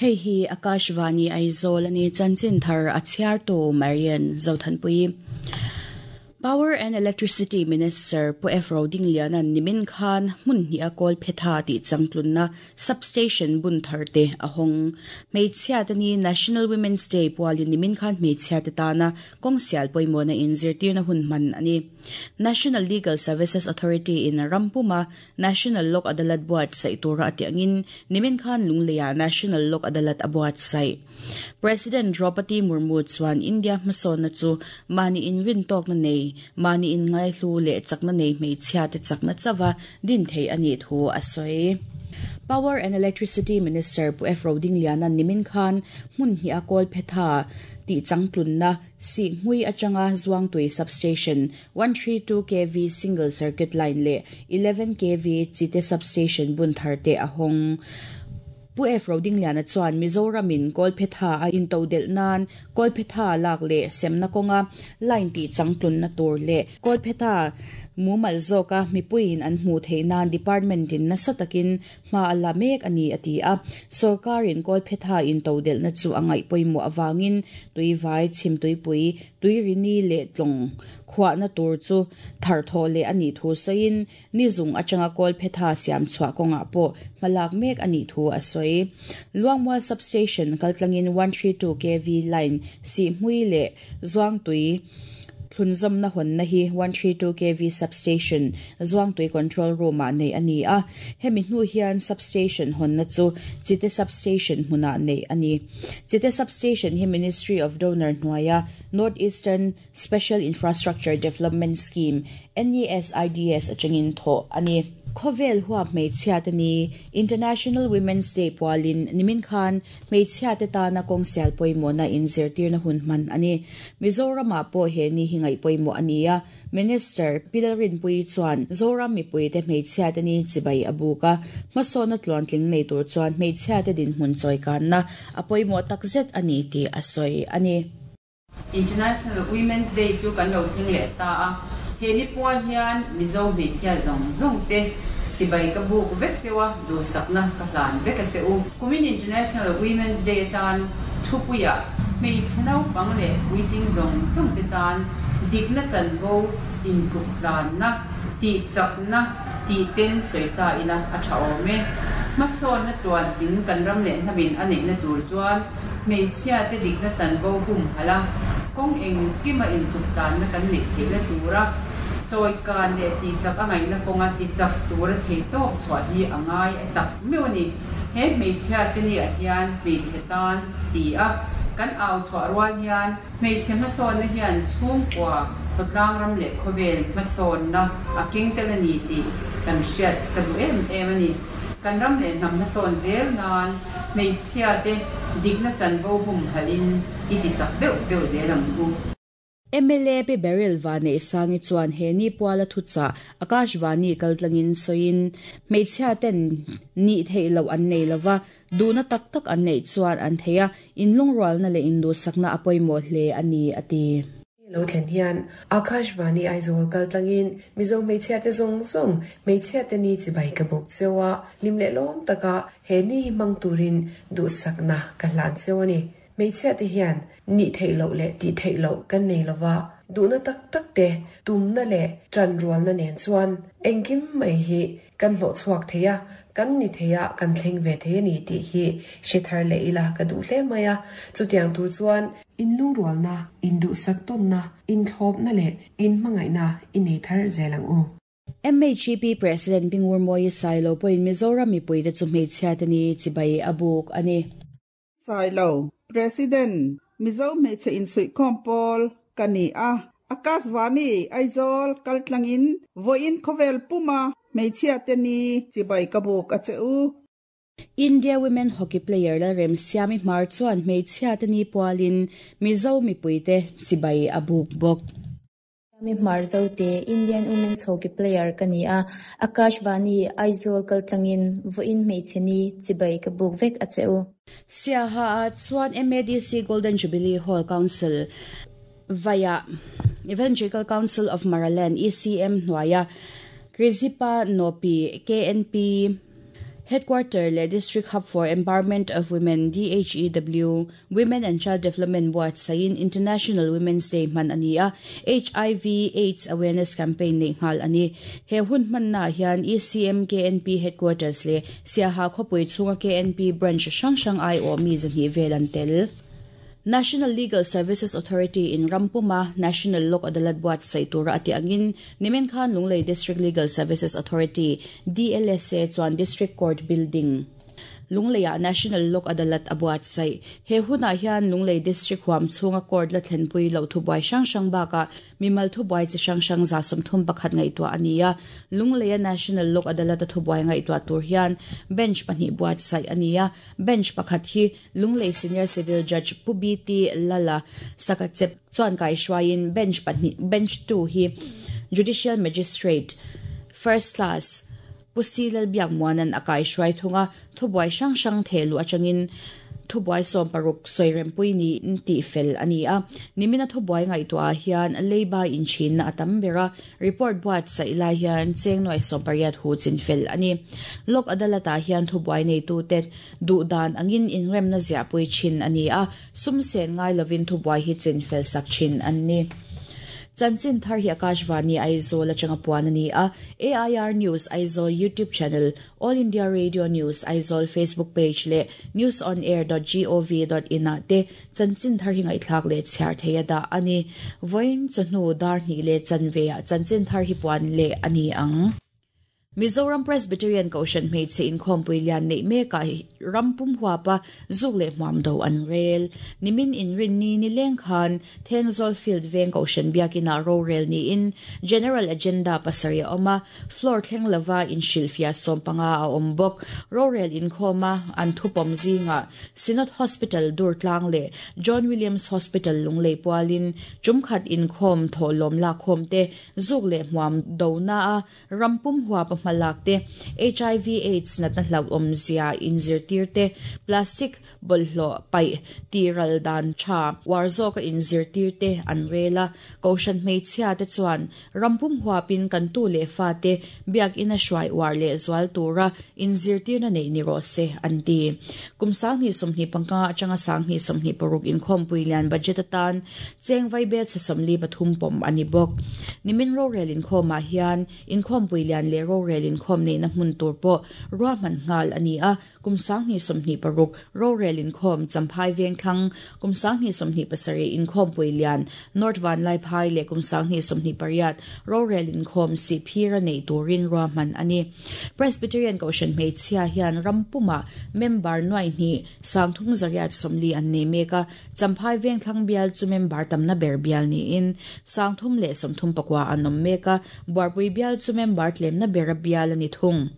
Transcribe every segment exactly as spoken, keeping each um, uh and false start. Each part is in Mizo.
Hei hi Akashvani Aizawl ani chanchin thar a chhiar tu Marian Zothanpui. Power and Electricity Minister Pu F. Rodinglianan nimin khan hmun hnih a kawl phetha tih changtlunna substation bun thar te a hawng. Hmeichhia te ni National Women's Day pualin nimin khan hmeichhia te tana kawng sial pawimawhna in zirtirna hun hman a ni. National Legal Services Authority in rampuma National Lok Adalat buatsaih tura a tih angin nimin khan Lungleiah National Lok Adalat a buatsaih. President Draupadi Murmu chuan India hmasawnna chu mahni inrin tawkna nei, mahni inngaihlu leh chakna nei hmeichhia te chakna chawa din thei a nih thu a sawi. Power and Electricity Minister Pu F. Rodinglianan nimin khan hmun hnih a kawl phetha tih changtlunna Sihhmui atanga Zuangtui Substation one three two kV single circuit line leh eleven kV Chite Substation bun thar te a hawng. Pu F. Rodingliana chuan Mizoramin kawl phetha a intodelh nan kawl phetha lak leh semna kawnga line tih changtlunna tur leh kawl phetha mumal zawka mipuiin an hmuh theih nan department in nasa takin hma a la mek a ni a ti a. Sorkarin kawl phetha intodelhna chu a ngaih pawimawh awangin tuivai chhim tuipui tuirini leh tlawng khuahna tur chu thar thaw leh a nih thu sawiin ni zung atanga kawl phetha siam chhuah kawngah pawh hmalak mek a nih thu a sawi. Luangmual Substation kaltlangin one three two kV line Sihhmui leh Zuangtui thlunzawmna hawnna hi one three two kV Substation Zuangtui Control Room-ah neih a ni a. Hemi hnu hian Substation hawnna chu Chite Substation hmunah neih a ni. Chite Substation hi Ministry of Donor hnuaia North Eastern Special Infrastructure Development Scheme, N E S I D S, atangin thawh a ni. Khawvel huap hmeichhia te ni International Women's Day pualin nimin khan hmeichhia te tana kawng sial pawimawhna inzirtirna hun hman a ni. Mizoramah pawh he ni hi ngaih pawimawh a ni a. Minister Pilalrinpui chuan Zoram mipui te hmeichhia te ni chibai a buk a. Hmasawna tluantling nei tur chuan hmeichhia te dinhmun chawikanna a pawimawh takzet a ni tih a sawi a ni. International Women's Day chu kan lo thleng leh ta a, he ni pual hian Mizo hmeichhia zawng zawng te chibai ka buk vek cheu a, duhsakna ka hlan vek a che u. Kumin International Women's Day atan thupuiah hmeichhe naupang leh puitling zawng zawng te tan dikna chanvo intluk tlanna, tih chakna tih ten sawi ta ila a tha awm e. Hmasawnna tluantling kan ram leh hnamin a neihna tur chuan hmeichhia te dikna chanvo hum hala kawng engkima intluk tlanna kan neih theihna tura chawikan leh tih chak a ngaihna kawnga ti chak tura thei tawk chhuah hi a ngai a tak meuh a ni. He hmeichhia te ni ah hian hmeichhe tan ti a kan au chhuah rual hian hmeichhe hmasawnna hian chhungkua khawtlang ram leh khawvel hmasawnna a keng tel a ni tih kan hriat ka duh em em a ni. Kan ram leh hnam hmasawn zel nan hmeichhia te dikna chanvo hum halin i ti chak deuh deuh zel ang u. M L A Pi Beryl Vanei Sangi chuan he ni puala thucha Akashvani kaltlangin sawiin hmeichhia ten ni thei lo an nei lova duhna tak tak an nei chuan an theia inlungrualna leh induhsakna a pawimawh hle a ni a ti. Lo thlen hian Akashvani Aizawl kaltlangin Mizo hmeichhia te zawng zawng hmeichhia te ni chibai ka buk chewa lim leh lawm taka he ni hmang turin duhsakna ka hlan cheu a ni. Hmeichhia te hian ni thei lo leh ti thei lo kan nei lova duhna tak tak te tumna leh tan rualna nen chuan engkim mai hi kan hlawh chhuak theia kan ni theia kan thleng ve thei ani tih hi hre thar leh ila ka duh hle mai a. Chutiang tur chuan inlungrualna induhsak tawnna inthlawpna leh inhmangaihna i nei thar zel ang u. M H G P President Bingur Moyi Sailo pawhin Mizoram mipui te chu hmeichhia te ni chibai a buk a ni. Sailo President Mizo hmeichhe insuihkhawm pawl ka ni a. Akashvani Aizawl kaltlangin vawiin khawvel puma hmeichhia te ni chibai ka buk a che u. India Women Hockey Player la rem Siami Hmar chuan hmeichhia te ni pualin Mizo mipui te chibai a buk bawk. Mi Hmar Zote Indian Women's Hockey Player ka ni a. Akashvani Aizawl kaltlangin vawiin hmeichhe ni chibai ka buk vek a che u. Siaha a chuan M A D C Golden Jubilee Hall Council via Evangelical Council of Maraland E C M hnuaia Krizipa Nopi K N P Headquarter le District Hub for Empowerment of Women D H E W Women and Child Development Board sain International Women's Day man ania H I V AIDS Awareness Campaign nei ngal ani he hun man na hian E C M K N P Headquarters le Siaha khopui chunga K N P branch sang sang I O mi zan hi velan tel. National Legal Services Authority in Rampuma National Lok Adalat buat sai tura ati angin nimen khan Lunglei District Legal Services Authority D L S A chuan District Court Building Lungleia National Lok Adalat abuat sai he huna hian Lunglei District huam chunga court la thlenpui lo thubuai sang sang baka mimal thubuai chi sang sang za somthum pakhat ngai to ania Lungleia National Lok Adalat thubuai ngai to tur hian bench pahnih buat sai ania bench pakhat hi Lunglei Senior Civil Judge Pubiti Lala sakachep chuan kai shwain bench pahnih bench two hi Judicial Magistrate First Class Pusilal biak muanan akai shwai thunga thubuai sang sang thelu atangin thubuai som paruk soirem pui ni ti fel ania nimina thubuai ngai to a hian leiba in chin na atam bera report buat sa ila hian chengnoi som pariat hu chin fel ani lok adalata hian thubuai nei tu te du dan angin inrem na zia pui chin ania sum sen ngai lovin thubuai hi chin fel sak chin anni. Chanchin thar hi Akashvani Aizawl atanga puan ani a A I R News Aizawl YouTube channel, All India Radio News Aizawl Facebook page le news on air dot gov dot in a te chanchin thar hi ngai thlak le chhiar theia da ani voin chanu dar ni le chanve a chanchin thar hi puan le ani ang. Mizoram Presbyterian Koshan made se in khompui lian nei me ka rampum huapa zuk le hmuam do an rel nimin in rin ni ni leng khan Thenzol Field veng Koshan biakina ro rel ni in general agenda pasaria oma floor thleng lova in shilfia sompanga a ombok ro rel in khoma an thupom zinga Synod Hospital Durtlang le John Williams Hospital Lunglei pualin chumkhat in khom tholom la khom te zuk le hmuam do na a rampum huapa malak te H I V AIDS nat na hlaw om zia in zirtir te plastic bolhlo pai tiral dan cha warzo ka in zirtir te anrela koshan meichhia te chuan rampum huapin kan tu le fa te biak ina shwai war le zwal tura in zirtir na nei ni ro se anti kumsang ni somni pangka atanga sang ni somni paruk in khom puilian budget atan cheng vai be somli pathum pom ani bok nimin ro relin khoma hian in khom puilian le ro relin khom nei na hmun tur po ruwa man ngal ani a kumsang ni somni paruk ro relin khom champhai veng thlang kumsang ni somni pasari in khom puilian North Van Lai Phai le kumsang ni somni pariat ro relin khom si phira nei turin ruwa man ani Presbyterian Koshan meichhia hian rampuma member nuai ni sangthum zariat somli an nei meka champhai veng thlang bial chu member tamna ber bial ni in sangthum le somthum pakwa anom meka barpui bial chu member tlemna bera bial ani thung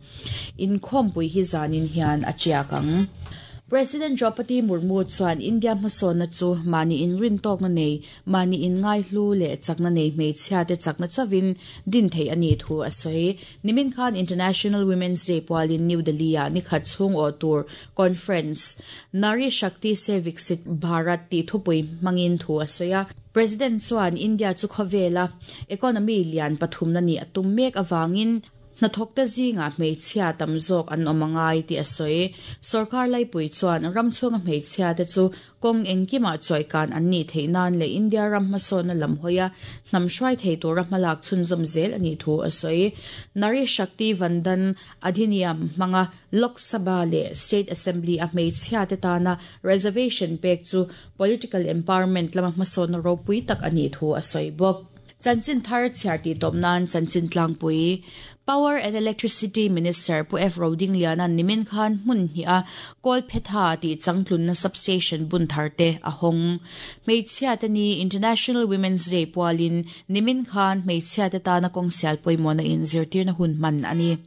in khom pui hi zanin hian achiakang. President Draupadi Murmu chuan India hmasawna chu mani in rin tawk na nei mani in ngai hlu le chakna nei hmeichhia te chakna chawin din thei ani thu a sawi nimin khan International Women's Day pualin New Delhi a nikhat chung aw tur conference Nari Shakti se Viksit Bharat ti thupui mangin thu a sawi a President chuan India chu khawvela economy lian pathum na ni atum mek awangin na thokta zinga hmeichhia tam zawk an awmangai ti a sawi sarkar laipui chuan ramchhunga hmeichhia te chu kong engkima chawikan an ni theinan le India ram hmasawna lam hawia hnam hruai thei tura hmalak chhunzawm zel ani thu a sawi Nari Shakti Vandan Adhiniyam hmanga Lok Sabha le State Assembly a hmeichhia te tana reservation pek chu political empowerment lama hmasawna ropui tak ani thu a sawi bawk. Chanchin thar chhiar ti tawp nan chanchin tlangpui Power and Electricity Minister Pu F Roding Liana nimin khan hmun hi a Kolphetha ti changtlun na substation bun tharte a hong hmeichhia te ni International Women's Day pualin nimin khan hmeichhia te tana kawng sial pawimawh na in zirtir na hun man ani.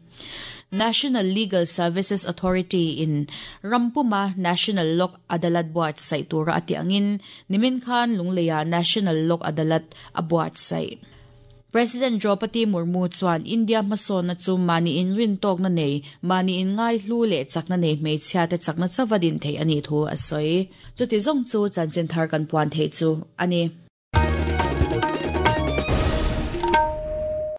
National Legal Services Authority in Rampuma National Lok Adalat buat sai tura ati angin nimin khan Lungleia National Lok Adalat abuat sai. President Draupadi Murmu chuan India hmasawna chu mani in rin tawk na nei mani in ngai hlu le chakna nei hmeichhia te chakna chawadin thei ani thu a sawi chuti zawng chu chanchin thar kan puan thei chu ani.